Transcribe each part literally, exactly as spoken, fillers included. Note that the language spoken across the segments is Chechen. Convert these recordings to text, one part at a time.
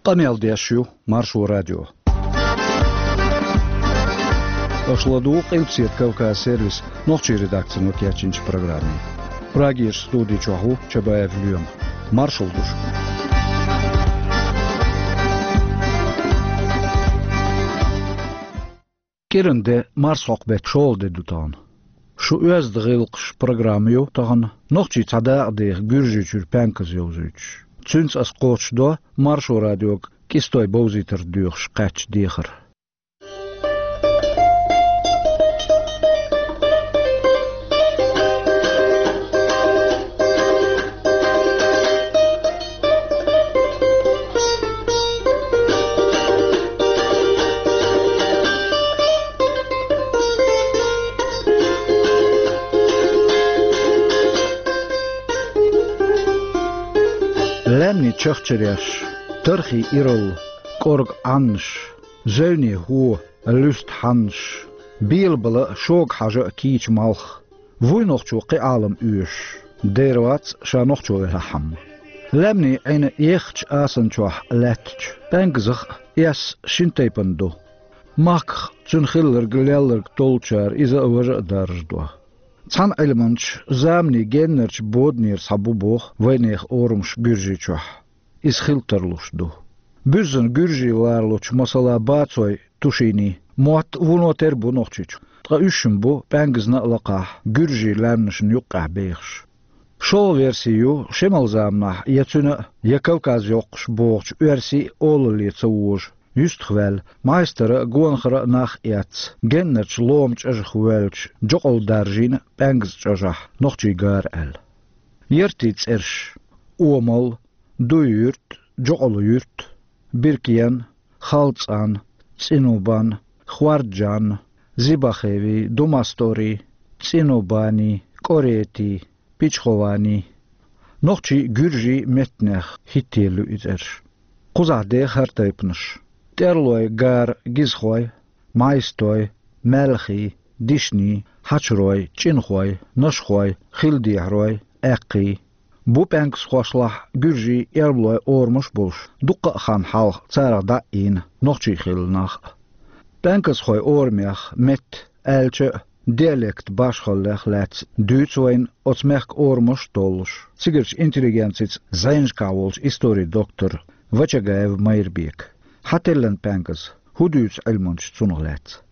Къамел деш ю Маршо радио. Аша ладугӀу Къилбаседа Кавказ сервисан нохчийн редакцино кечйинчу программе. Прагерчу студи чохь ву Чабаев Лоьма. Маршалла ду шуьга. КӀиранде марсхьокху беттан шолгӀа де ду тахана. Шу оьзда гӀиллакхаш программа ю тахана, нохчий цхьа дакъа деха Гуьржийчуьра пенказ йовзуьйтуш. Цуьнца ас кхочушдо Маршо радиога кӀистойн бовзийтарх доьхуш кхаьчча дехар. Лаьмнийн чахчареш, тархин иралла, кӀорга Ӏаннаш, зевне хӀо, луьста хьаннаш, белабала а, шога хьажа а кийча малх, вуй нохчо кхин Ӏалам оьшуш, дера вац ша нохчо велахь а. Лаьмнийн Ӏин еххачу асанчохь лаьттачу пенказах а эс шина тайпана ду. Махках цуьнан хилларг, лелларг толлучара иза а, важа а даржадо. Цхьана Ӏилманча заманийн геннарчу боданера схьа бу боху вайнехан орамаш Гуьржийчохь. Иза хила тарлуш ду. Буьззина гуьржий ларалучу, масала, бацойн тушинийн мотт вуно тера бу Нохчийчу, ткъа уьш шина бу пенказна а лакхахь гуьржийн лаьмнашна юккъехь бехаш. ШолгӀа верси ю, шеман заманахь я цуьнан а, я Кавказ йоккхуш бохучу оьрсийн а олалле ца вожу, юьстах ваьлла, майстара а, гонахара а нах а эцна, геннарчу лома чӀожах воьллачу Джокъалла даржийна пенказан чӀожахь нохчийн гара аьлла. Яртийн цӀераш: Омал, Дуй-Юрт, Джокъалла-Юрт, Биркен, Халцан, ЦӀинубан, Хварджан, Зибахеви, Думастори, ЦӀинубани, КӀоретий, Пичховани. Нохчийн, гуьржийн меттанех хӀиттаелла ю и цӀераш. Кхузахь деха хӀара тайпанаш: тӀерлойн гара гизхой, майстой, маьлхий, дишний, хьачарой, чӀинхой, нашхой, хилдехьарой, аьккхий. Бу пенкасхошлахь гуьржийн, эрмалойн орамаш а болуш, дуккха а хан хьалха царах дӀа а ийна нохчий хилла нах а. Пенкасхойн орамех, метта, аьлча а, диалект башхаллех лаьцна дуьйцу вайна оцу мехкан орамаш а толлуш, цигарчу интеллигенцица зӀенашкахь волчу историн доктор Вачагаев Майрбека. Хьан теллина пенказ? ХӀун дуьйцу Ӏилманчо цунах лаьцна?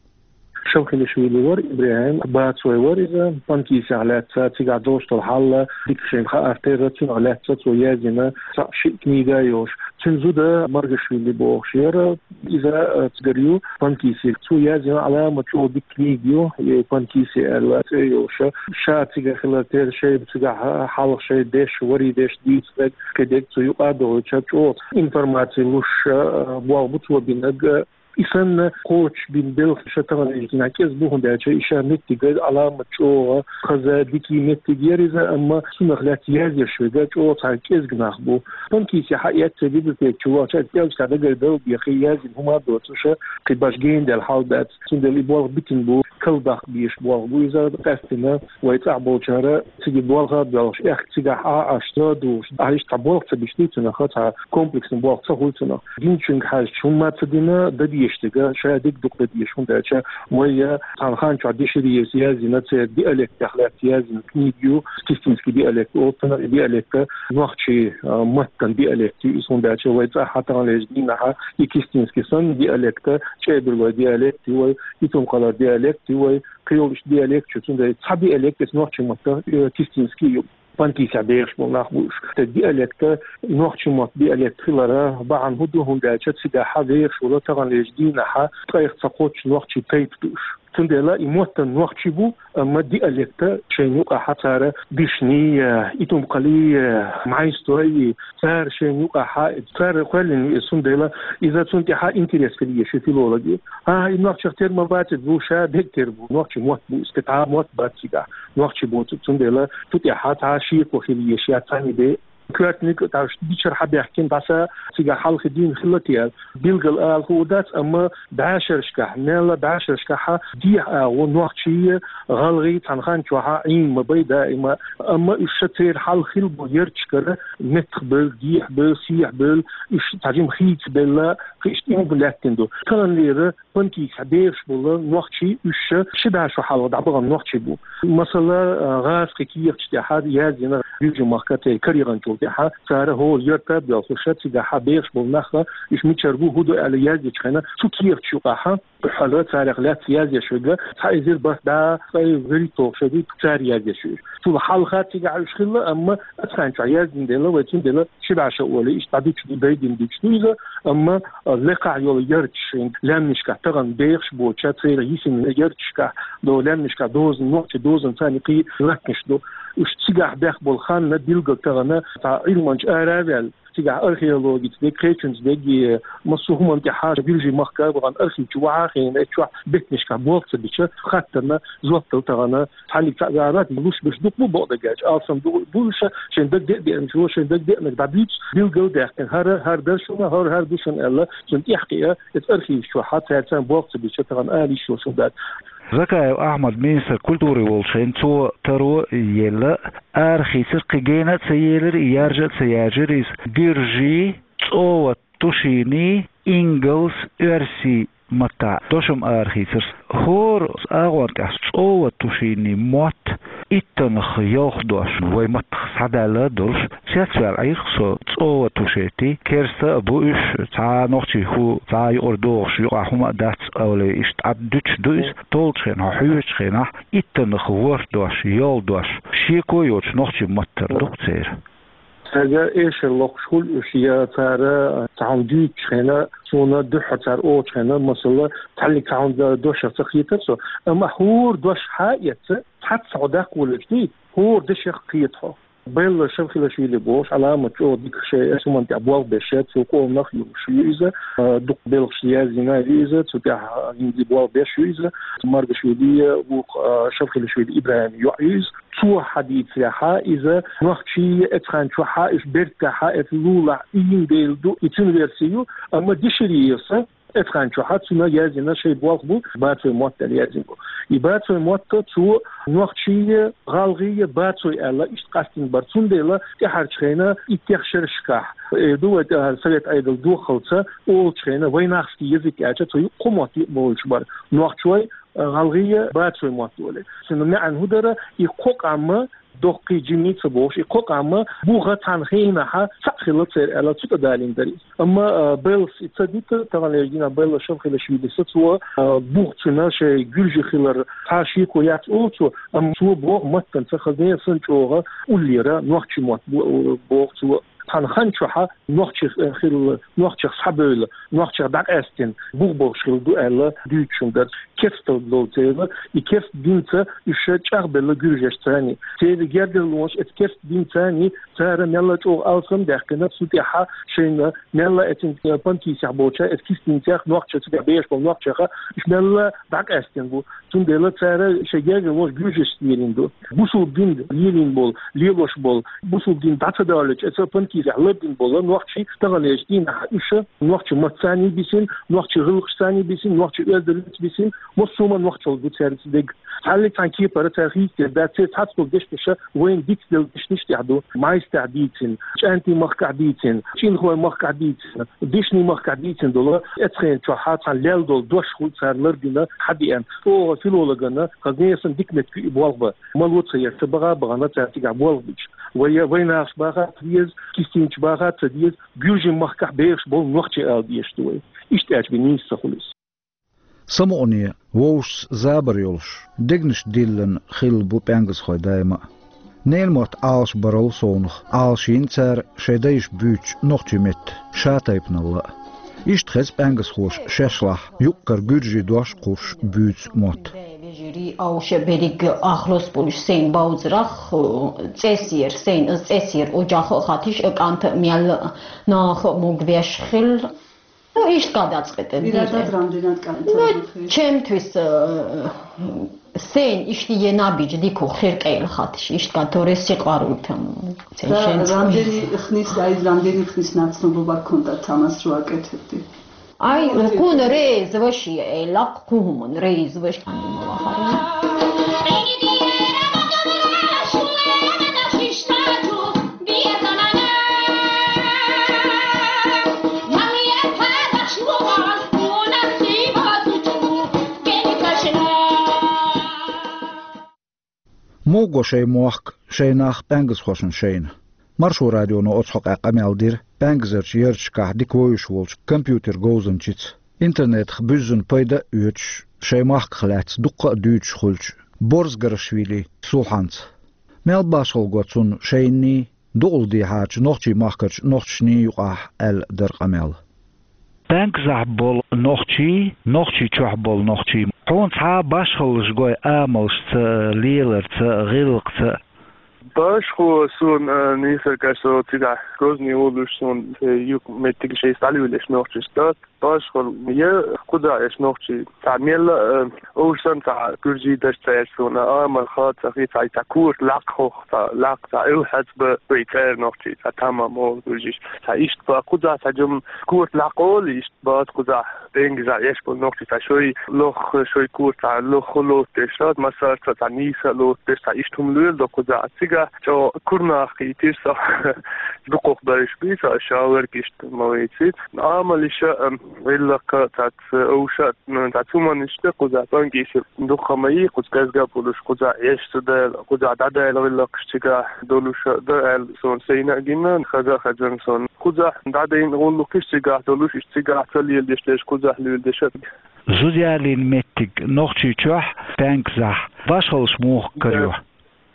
Шалхилишвили вара ИбрахӀим, бацой вара иза, Панкисехь лаьцна, цигахь долуш долу хьал дика шайна хаар терра, цунах лаьцна цо яздина цхьаъ-шиъ книга а йолуш. Цуьнан зуда Маргашвили бохуш яра, иза, а, цигара ю, Панкиси. Цо яздина Ӏаламат чӀогӀа дика книга ю, и Панкиси аьлла цӀе йолуш. Ша цигахь хилар терра, шайна цигахь хьалха шайн деш, варий деш дийцинарг, кхидерг цу юкъа а дохуьйтуш, чӀогӀа информаци луш, а, болх бу цо бинарг. И санна кхочушбина белхаш тахана динахь кӀезиг бу, хӀунда аьлча и ша меттиг а Ӏаламат чӀогӀа хаза, дика меттиг яра иза, амма цунах лаьцна язъеш верг чӀогӀа цхьа кӀезиг нах бу. Панкиси хьаэцна библиотека чу вахча, кӀелча дагара дала бехи, яздина хӀума а доцуш, кхин баш гена даьлла хьал дац. Цундела и болх битина бу, калдаккха безаш болх бу иза, къаьстина вай цӀахь болчара цига болх а боьлхуш, эхь, цигахь Ӏа а Ӏаш, ца а духуш, Ӏа иштта цхьа болх ца беш дуй цунах, цхьа комплексный болх ца хуьлу цунах. Динчуьнга хьаьжча, хӀумма ца дина, дан дезаш дерг, ша дерг дукха дан дезаш, хӀунда аьлча вай я цхьана хан чохь дешарий яздина, церан диалектех лаьцна яздина книга ю, кистинский диалект олу цунах, и диалект нохчийн, а, маттан диалект ю иза, хӀунда аьлча вай цӀахь таханлерчу дийнахь и кистинский санна диалект, чӀебарлойн диалект ю вай, итум-кхалар диалект ю вай, кхин йолу иштта диалект ю, цундела цхьа диалект иза нохчийн маттан, э, кистинский ю. Панкисехь бехаш болу нах бу уьш. Ткъа диалект, нохчийн маттан диалект хиларан бахьана хӀун ду, хӀунда аьлча цигахь вехаш волу таханлерчу дийнахь ткъех ца кхоччуш нохчийн тайпа ду уьш. Цундела и маттан нохчий бу, амма диалект шайна юкъахь цара дишний, э, итум-кхалий, э, майстой, цара шайна юкъахь, цара кхоьллина ю иза, цундела иза цунна тӀехь интерес хила еза филологийн. А, и нохчех тера ма бац иза, бу ша берг тера бу, нохчийн мотт бу иза, цхьа мотт бац цигахь, нохчий боцург, цундела цу тӀехь цхьа шеко хила еза я цхьаьна бен. коьртаниг тӀаккха дичара хьабаьхкина, баса цигахь хьалхе дийна хилла те аьлла. Билггал ала хӀу дац, амма бӀешерашкахь, мелла бӀешерашкахь дехьа агӀо нохчий, гӀалгӀай цхьана хан чохь Ӏийна ма бай даима, амма уьш ша церан хьалха хилла болу ярташкара меттахбевлла, дехьабевлла, сехьабевлла, уьш цхьа жима хийцабелла, кхин иштта ийман лаьттина ду. Таханлера Панкисехь бехаш болу нохчий уьш ша ши бӀе шо хьалха дӀабахана нохчий бу. Масала, гӀазкхийн кехаташ тӀехь яздина гуьржийн махка тӀе карегӀанчул тӀехь, цара хӀора ярта а боьлхуш, цигахь бехаш болу нах, уьш мичара бу, хӀун ду аьлла яздечу хенахь, цу кехаташ юкъахь дуьххьара царах лаьцна яздеш верг цхьа эзар бархӀ бӀе ткъе вуьрхӀитталгӀа шо ду цара яздеш верг. Цул хьалха цигахь уьш хилла, амма оцу хан чохь яздина дела, вай цундела ши бӀе шо олий, иштта дӀадуьтуш ду, дайдина дуьтуш ду иза, амма, а, лекхахь йолу ярташ шайн лаьмнашкахь тахана бехаш боцуш, церан йисина ярташкахь, до лаьмнашкахь дозанна, нохчийн дозанна царна кхин латтанаш ду. Уьш цигахь бех болу хан билггал тахана цхьа Ӏилманча ара а ваьлла, цигахь археологица дерг, кхечуьнца дерг, массо а хӀуманна тӀехь гуьржийн махка а бахана архив чу вахьа а хиъна, эцу чохь беттанашкахь болх ца бича, хаттарна жоп дала тахана цхьаьллиг цхьаъ ваьлла, луш-буш дукха бу бакъдерг аьлча, алсам ду, бу уьш, шайн дагадеа деанчо шайн дагадеанарг дӀадуьйцу, билггал даьккхина, хӀара, хӀара дара шуна, хӀара, хӀара ду шуна аьлла, цунна тӀаьхьакхиа, эцу архиваш чохь цаьрца болх ца бича, тахана ала йиш йолуш хӀума дац. Закаев Ахьмад министр культурин волчу хенахь, цо таро елла, арахийцира, кхин гена а ца елира, яржа а ца яржира иза. Гуьржийн, цӀован тушинийн, ингалс, оьрсийн маттахь дошам арахийцира. ХӀора агӀор тӀехь цӀован тушинийн мотт иттанах йолх дош вай маттах схьадаьлла а долуш, цецваьлла Ӏийрх со цӀован тушетий, керста а бу уьш, цхьа а нохчийн хӀу, цхьа а юкъара догӀуш, юкъахь хӀума а дац, олий, иштта Ӏад дуьтуш ду иза, толлучу хенахь, хьоьжучу хенахь, иттанах ворхӀ дош, йолу дош, шеко йоцуш нохчийн маттара ду-кх церан. Цаьрга эшар локхуш хуьлу уьш, я цара цхьа хӀума дуьйцучу хенахь, суна дуьххьара цара олучу хенахь, масала, цхьаьллиг цхьа хӀума дошах ца хетара со, амма хӀора дош хьаэца, цхьацца хьо даккха волуьйтуш дий, хӀора дешах кхета хьо. Белла Шавхилашвили бохуш Ӏаламат чӀогӀа дика шен эс хӀуманна тӀехь болх беш, цо къоманах а юуш ю иза, а, дукха белхаш яздина ю иза, цу тӀехь, а, хӀинца болх беш ю иза, Маргашвили а вукху, а, Шавхилашвили ИбрахӀим йоӀ ю иза. Цо хьадийцарехь, иза нохчий эцу хан чохь уьш бертахь эцу лулахь ийна дела ду, и цуьнан верси ю, амма Деширьевс эцу хан чохь цуьнан яздина шайн болх бу, бацойн мотт аьлла яздина бу. И бацойн мотт цо нохчий, гӀалгӀай, бацой аьлла, иштта къастийна бара. Цундела тӀаьхьарчу хенахь иттех шерашкахь, э, ду вай тӀаьхьара совет Ӏедал дохалца, олучу хенахь вайнахский язык аьлча, цо юкъа кхо мотт юкъа бовлуш бара. Нохчой, гӀалгӀай, бацойн мотт олий. Цуьнан маьӀна хӀун дара, и кхо къам доккхий, жимий ца бохуш, и кхо къам буха цхьана хенахь цхьаъ хилла церан аьлла, цу тӀе далийна дара иза. Амма, а, Беллас и ца дита, таханлерчу дийнахь Белла Шавхилашвилис цо, а, буха цуьнан шайн гуьржи хилар цхьа шеко яц олу цо, амма цо боху маттанца хазне а санна чӀогӀа уллера нохчийн мотт бо-, боху цо. Цхьана хан чохь нохчех, э, хилла, нохчех схьабевлла, нохчех дӀакъаьстина, бух болуш хилла ду аьлла дуьйцуш хӀума дара. Керсталла долу церан, и керста динца уьш чӀагӀбелла гуьржешца цхьаьний. Церан гергарлонаш эцу керста динца цхьаьний, цара мелла чӀогӀа алсам даьккхина, цу тӀехь шайна мелла эцу, э, Панкисехь болча, эцу кистийцех нохчех, цигахь бехаш болу нохчех, уьш мелла дӀакъаьстина бу. Цундела цара шайн гергарлонаш гуьржашца лелийна ду. Бусулба дин лелийна болу, лелош болу, бусулба дин дӀа ца далочу эцу Панкисехь лардина болу нохчий таханлерчу дийнахь уьш нохчийн маттаца цхьаьний бисина, нохчийн гӀиллакхашца цхьаьний бисина, нохчийн оьздангаллица бисина, массо а хӀуманна нохчалла ду цаьрца дерг. Цхьаьллиг цхьана кепара цара хийцаделла дац, церан цхьацца болу дешнаш вайна дицделла дешнаш тӀехь ду. Майстехь дийцина, ЧӀаьнтийн махкахь дийцина, ЧӀинхойн махкахь дийцина, Дишнийн махкахь дийцина долу, эцу хенан чохь цхьана лелла долу дош хуьлу цара лардина, хьадеана. ЧӀогӀа филологана, хазне а санна, дика меттиг ю и болх бан. Мало ца еш, ца баха а бахана цара цигахь болх бича. Вай, вайнахаша баха а ца деза, кистийцаша баха а ца деза, гуьржийн махкахь бехаш болу нохчий ала дезаш ду вай. Иштта аьлча бен нийса ца хуьлу иза. Самукъане, вовшашца забар йолуш, дегнаш диллина хилла бу пӀенгазхой даима а. Ненан мотт Ӏалашбарал совнах, Ӏалашйина цара шайн дайша буьйцучу нохчийн меттан ша-тайпаналла а. Иштта хеза пӀенгазхоша шаьшлахь юккъера гуьржийн дош кхуссуш буьйцу мотт. Вежарий, овша, берриг ахлос болуш сайн бовзарах, цӀесера, сайн иза цӀесера оьшуш а хатиш а, кӀант а мел а, наха а могавеш хилла. Ну, ишт гадацӀкӀетӀен. Ирада дирен. Рандинат кӀантӀа. Ну, чемтвис, э, сен ишти е набиджи дико хир кӀел хатиш, ишт гатори сиқару там. Сен. Да, шен рандини хнис, ай, рандини хнис нацну буба конта тамас руакетти. Ай, ну, кун рез ваши, э, лак кумун рез ваш, ани мала хари. МугӀ го шоай мохк, шоай нах, пӀаьнкъазхошна шайна. Маршо радионо оцу хьокъехь къамел дира пӀаьнкъазарчу ярташкахь дика вевзаш волчу компьютер говзанчица. Интернетах буьззина пайда а оьцуш, шайн махках лаьцна дуккха а дуьйцуш хуьлучу Борзгарашвили Сулхьанца. Мел башхалла го цунна шайний, дукъалгӀа дехьарчу нохчийн махкарчу нохчашний юкъахь аьлла дара къамел. ПӀаьнкъазахь болу нохчий, нохчий чохь болу нохчий. Хьуна цхьа а башхаллаш гой амалшца, леларца, гӀиллакхца? Башхо суна, э, нийсар кхаьчна цигахь Грозный волуш суна, э, юкъ меттиг шайца дӀалуьйлуш нохчашца дац. Башхалла я кхузахь эш нохчий. Цхьа мелла а, э, овшан цхьа гуьржий даш цаьрца суна, амал хаа ца хи, цхьа, цхьа корта лакхох, цхьа лакх, цхьа эвхьац ба вай цӀера нохчий, цхьа тамам олу гуьржиш. Цхьа иштта ба кхузахь цхьа жим корта лакхолу, иштта бац кхузахь, пӀенгазахь эш болу нохчий, цхьа шой лохха, шой корта цхьа лохха лоцу деш, массарца цхьа нийса лоцу деш, цхьа иштта хӀума лоьлу до кхузахь. Цигахь чӀо курнах кхийтира со, дукхах берш бий со, ша верг иштта ма вайци. Амалиша, ам, гӀиллакха цац овша, ну, цац хӀуманаш тӀе кхузахь пӀанкъийса дукха ма йий, кхуза кӀезга а болуш, кхузахь эш ца дала, кхузахь дӀадала гӀиллакхаш цигахь долуша да аьлла, суна сайна а гина, хаза а хазна суна. Кхузахь дӀадайна гӀуллакхаш цигахь долуш, иштта цигахь ца леладеш дерш, кхузахь луьйла деш а. Зуда ялийна меттиг нохчий чохь, пӀаьнкъазахь, башхаллаш муха карайо?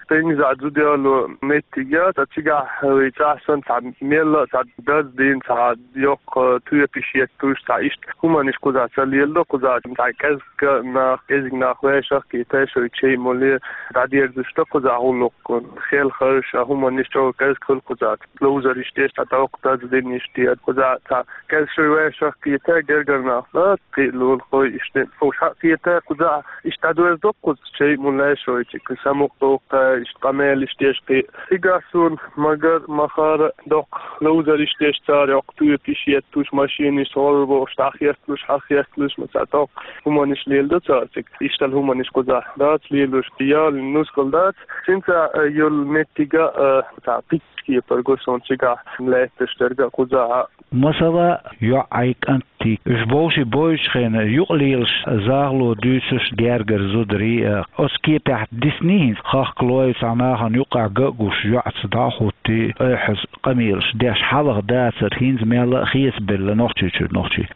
ПӀенгазахь зуда яло меттиг я, цхьа цигахь вай цӀахь санна цхьа мелла а цхьа даз дина, цхьа йоккха тоьпаш еттуш, цхьа иштта хӀуманаш кхузахь ца леладо, кхузахь цхьа кӀезга нах, кӀезиг нах вешах кхета, шой чай моле дӀадерзуш ду кхузахь гӀуллакх. Хелхарш а хӀуманаш чӀогӀа кӀезиг хуьлу кхузахь. Ловзарш деш цхьа доккха даз дина иштта, кхузахь цхьа кӀезиг шой вешах кхета, гергара нах ла, кхиа лулахой иштта, хӀуш хьа кхета, кхузахь иштта дӀадоьрзу доккхуза. Чай мулла шойчик, самукъа доккха, иштта къамелаш деш кхин. Цигахь суна магар, махара доккха ловзарш деш, цара йоккха тоьпаш еттуш, машинаш гӀорбохуш, дӀахесталуш, хьахесталуш, ма цхьа доккха хӀуманаш леладо цара цига. Иштта хӀуманаш кхузахь дац лелош, ялийна нускал дац. Цуьнца, э, йолу меттига, э, цхьа кхечу кепара го суна цигахь лаьтташ дерг а кхузахь а. Масала, йоӀ ай кӀант Ти, уьш бовший бойчу хенахь юкъа лелаш, захало дуьйцуш гергара зударий а, оцу кепехь дисний хӀинца хахкалой, цхьа нахана юккъехь ган а гуш, йоӀца дӀа а хӀуттий, айхьаза къамелаш деш хьалха дацара, хӀинца мелла а хецабелла Нохчийчуьра нохчий.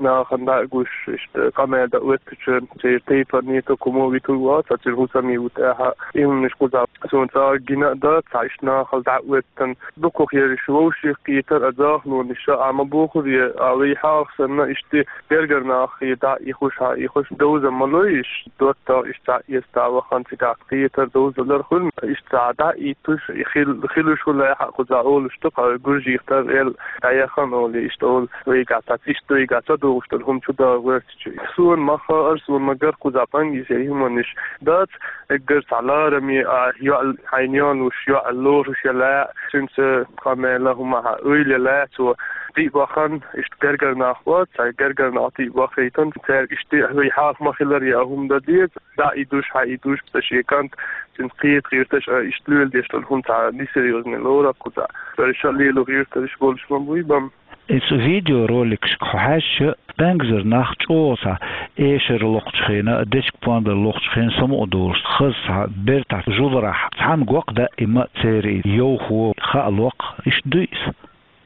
Нахана дӀа а гуш, иштта къамел дан оьттучун, церан тайпанийн тукумо витур вац, цуьнан хӀусамийн ву тӀаьхьа, и хӀуманаш кхузахь суна цкъа а гина а дац, цхьа иштта нахала дӀа а оьттан, дукхах ерриш вовшех кхетар а, захалонаш а, а ма бохура, а вай хьалха санна, иштта гергара нах и дӀа а ихуш, хьа а ихуш, довза ма лой, иштта доттагӀа, иштта цхьа эста вахана цигахь кхетар, довзалар хуьлу, иштта цхьа дӀа а иттуш, и хил-, хилуш хуьлу, хьа кхузахь олуш ду, кху гуржих тар эл дӀаяхана олий, иштта олу, вайгахь цхьацца, иштта вайгахь ца догӀуш долу хӀума чу дагӀа гӀоьртича. Суна ма хаара, суна ма гара кхузахь пӀанкъийса хӀуманаш дац, эггара цхьа лараме а, йоӀ, хьайна йолуш, йоӀ лоруш я лаьа, цуьнца къамела хӀума хьан ойла я лаьа, цо тӀе а бахана, иштта гергара нах бац, цхьа гергара нах тӀе а бахийтина, цаьрга иштта вай хьалха ма хилар я хӀума дан деза, дӀа а идуш, хьа а идуш, ца шен кӀант, цуьнца кхета гӀирташ а, иштта лоьла деш долу хӀума цхьа несерьёзный лору кхузахь. Цара ша лело гӀиртарш болуш ма буй бан. Иза видеороликашка хьаьжча, пӀаьнгазар нах чӀогӀа цхьа эшар локхучу хенахь, дечка-пондар локхучу хенахь самукъа долуш, хаза цхьа бертахь жуларахь цхьаьна гӀо-кх даима церан йовхо, хаа локх, иштта дуй иза?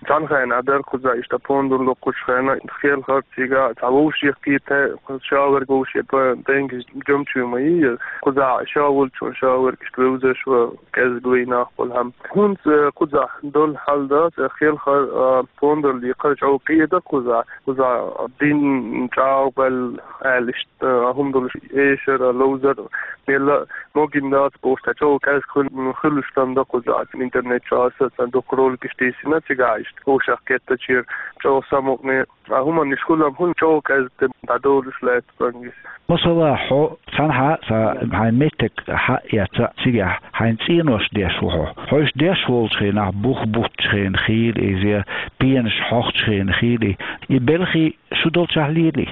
Цхьана хенахь дара кхузахь иштта пондар локхучу хенахь, хелхар цигахь цхьа вовшех кхета, ша верг вовше пӀа-, пӀенгаш жимачу ма йий, кхузахь ша волчун ша верг иштта вевзаш ван кӀезиг вай нах болу хӀама. ХӀинца, э, кхузахь долу хьал дац, э, хелхар, э, пондар лийхар чӀогӀа кхиадан кхузахь. Кхузахь дин чӀагӀбелла аьлла иштта, э, хӀума долуш эшар, э, ловзар, мелла а могина дац бохуш, цхьа чӀогӀа кӀезиг хуьлу-, хуьлуш дан дан кхузахь. Интернет чу аса цхьа дукха роликаш тийсина цигахь иштта. вовшахкхетачера чӀогӀа самукъане. А хӀуманаш хулам хӀун чӀогӀа кӀезига дӀадолуш лаьтта пангис. Масала, хьо цхьанхьа а ца хьайн меттиг хьа а эцна, цигахь хьайн цӀенош деш ву хьо. Хьо уьш деш волчу хенахь, бух буттучу хенахь хийла иза, пенаш хьохчу хенахь хийла, и белхий шу долчохь лелий?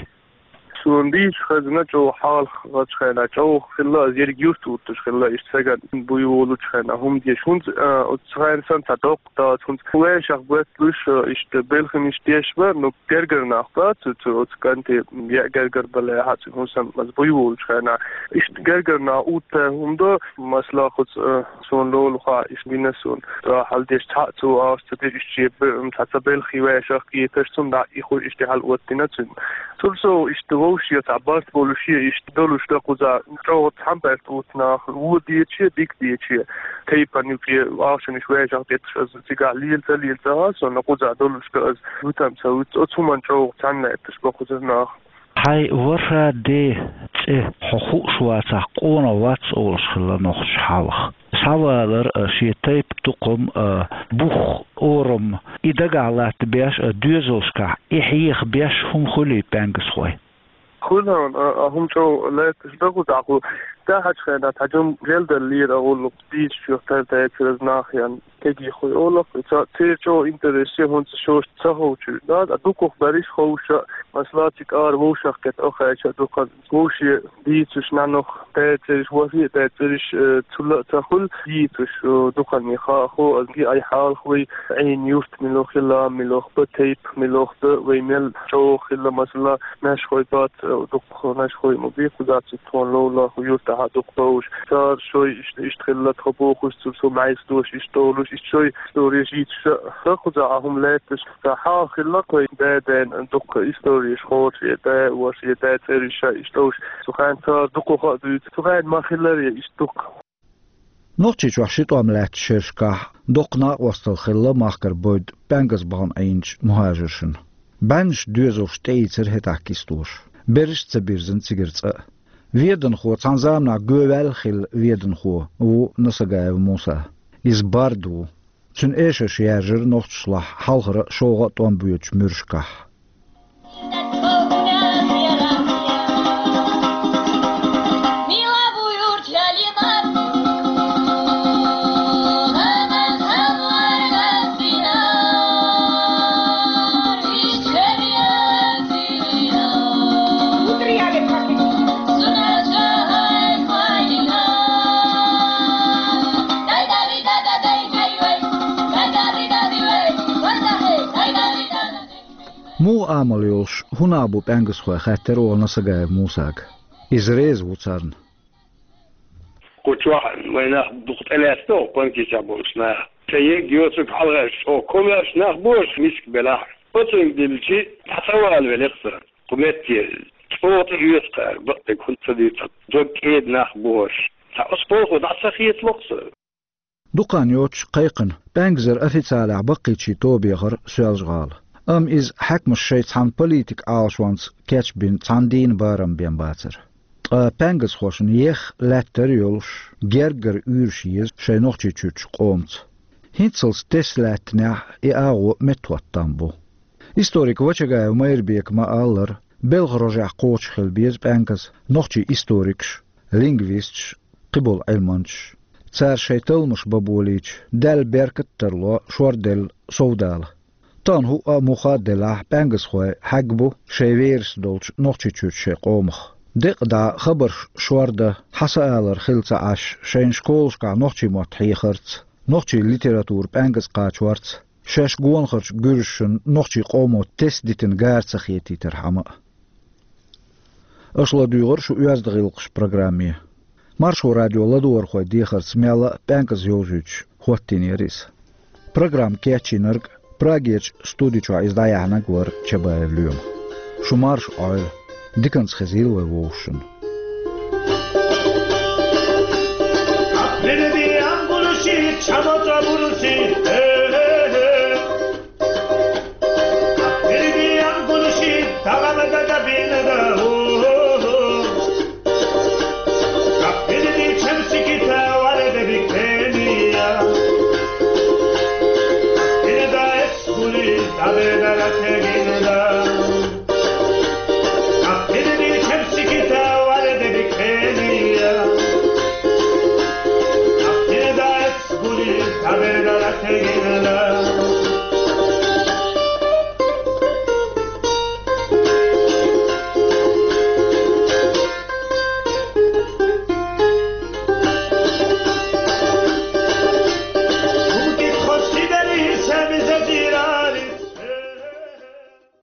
Суна дийца хезна, чӀогӀа хьалха гӀачу хенахь чӀогӀа хилла, аса ерриг юрт вуттуш хилла, иштта сагана буй волучу хенахь хӀума деш. ХӀунца, а, оцу хенахь санна цхьа доккха дац, хӀунца вешах боьтталуш, а, иштта белханаш деш бара, ну, гергара нах бац, цу, цу, оцу кӀанте яа гергара балехьа, цу хӀун санна, аса буй волучу хенахь. Иштта гергара нах утта хӀума до, масала, кхуца, а, Суна лолахь, иштта вина суна. Цо хьал деш цхьаъ цо ахча ца деш, иштта шен бе-, цхьа ца белхий вешах кхеташ, цунна дӀа и хуй иштта хьал оттина цуьнга. Цул сов иштта вовшех цхьа барт болуш е иштта долуш дан кхуза чӀогӀа цхьана барт утта нах, вон дече, дика дече. Тайпана юкъе ахчанаш вешах детташ аса цигахь лела ца лела ца хаа, суна кхуза долуш дан аса витам ца вуьту, оцу хӀуманна чӀогӀа цхьаьна лаьтташ бан кхузара нах. Хьайн ворхӀ де цӀе хьо хууш вацахь, къонах вац олуш хилла нохчаша хьалха. Схьавалар а, шен тайпа тукхам а, бух, орам, и дагахь латтабеш а, доьзалшкахь и хьеха беш хӀума хуьлий пӀенгазхойн? Хуьлу хьуна, а, а хӀума чӀогӀа лаьтташ дан кхузахь хӀу. ТӀаьхьарчу хенахь цхьа жима гӀелдаллера а гӀуллакх дийцачух тардайцар аса нах ян. Кегийхой олу, ца-, церан чӀогӀа интерес я, хӀунца шоша ца ховчуьра. Да, а дукхах берриш ховша, масала, цигара вовшахкхетта охьаьча дукха вовше дийцуш нанах дацарш, вафе дацарш, э, цула а ца хуьлу дийцуш, э, дукхане хаа хо, аса ги ай хьалха вай Ӏийна юрт милох хилла, милох ба, тайпа милох да, вай мел чӀогӀа хилла, масала, Нашхой бац, дукха нашхой ма бий, кхуза цу тхуна ловла, хӀу юртахьа дукха бовш. Цара шой иштта, иштта хилла, тхо бохуш, цу со маьйс дош иштта долуш, иштта шой истореш йийцуш а, кхуза а хӀума лаьтташ, ца хьалха хилла, кхой да-ден дукха истореш хорш е да, вош е да, цӀериш а иштта долуш. Цу хенахь цара дукха хаа дуьйцу, цу хенахь ма хилар е иштта дукха. Нохчийчохь ши тӀом лаьттачу шерашкахь доккха накъосталла хилла махкара бойда пӀенгаза бахана Ӏийначу мухӀажаршна. БӀеннаш доьзалш тӀеийцира хӀетахь кистоша. Берриш а ца бирзина цигара цкъа а. Веданхо, цхьана заманахь гӀоваьлла хилла веданхо ву Насагаев Муса. Иза бард ву. Цуьнан эшарш яьржира нохчашлахь хьалхара шолгӀа а тӀом боьдучу муьрашкахь. Муха амал йолуш, хӀун нах бу пӀенгазхой, хаьттира оха Насагаев Мусага. Иза реза ву царна. Кху чохь вайн нах дукха тӀелаьцна оха панкичахь болуш нах. Ца ерг йоцург хьалхарчу оха комаьрша нах бу аша миска белахь. Оцунга дилчи, дӀа ца вала велира аса. Кху метте чӀогӀа тӀеоьцу кхара, бакъдерг хӀунда ца дуьйцу, дог кӀеда нах бу аша. Цхьа оцу полхо дӀа ца хецало аса. Дукха хан йоццуш кхайкхина, пӀенгазара официалехь баккхийчийн тоба яхара Соьлжа-ГӀала. Амма иза хьаькамаша шайн цхьана политикан Ӏалашонца кечбина цхьана дийнан барам бен бацара. Ткъа пӀенгазхошна еха лаьттара йолуш, гергара уьйраш еза шайн Нохчийчуьрчу къомаца. ХӀинццалц тесна лаьттинехь и агӀо меттахӀотта там бу. Историк Вачагаев Майрбека ма-аллара, белхан рожехь кхочуш хила беза пӀенгаза нохчийн историкаш, лингвисташ, кхиболу Ӏилманчаш. Цара шайн талламаш бан болийча, Далла беркат а тарло шорделла совдала. Тахана хӀуъа а муха а делахь, пӀенгазхой хьаьгна бу шайн верас долчу Нохчийчуьрчу шайн къомах. Декъа дӀа хабарш шордан, хьа са алар хилла ца Ӏаш, шайна школашкахь нохчийн мотт хьехарца, нохчийн литература пӀенгаза кхачорца, шаьш гонахарчу гуьржашна нохчийн къомо тесна дитина гара ца хетийтархьама а. Аша ладуьйгӀира шун «Оьзда гӀиллакхаш» программе. Маршо радион ладогӀархойн дехарца мелла а пӀенгаза йовзуьйтуш хӀоттийнера иза. Программа кечйинарг, Прагерчу студи чохь иза дӀаяьхьнарг вара Чабаев Лоьма. Шу марша Ӏойла, диканца хезийла вай вовшашна.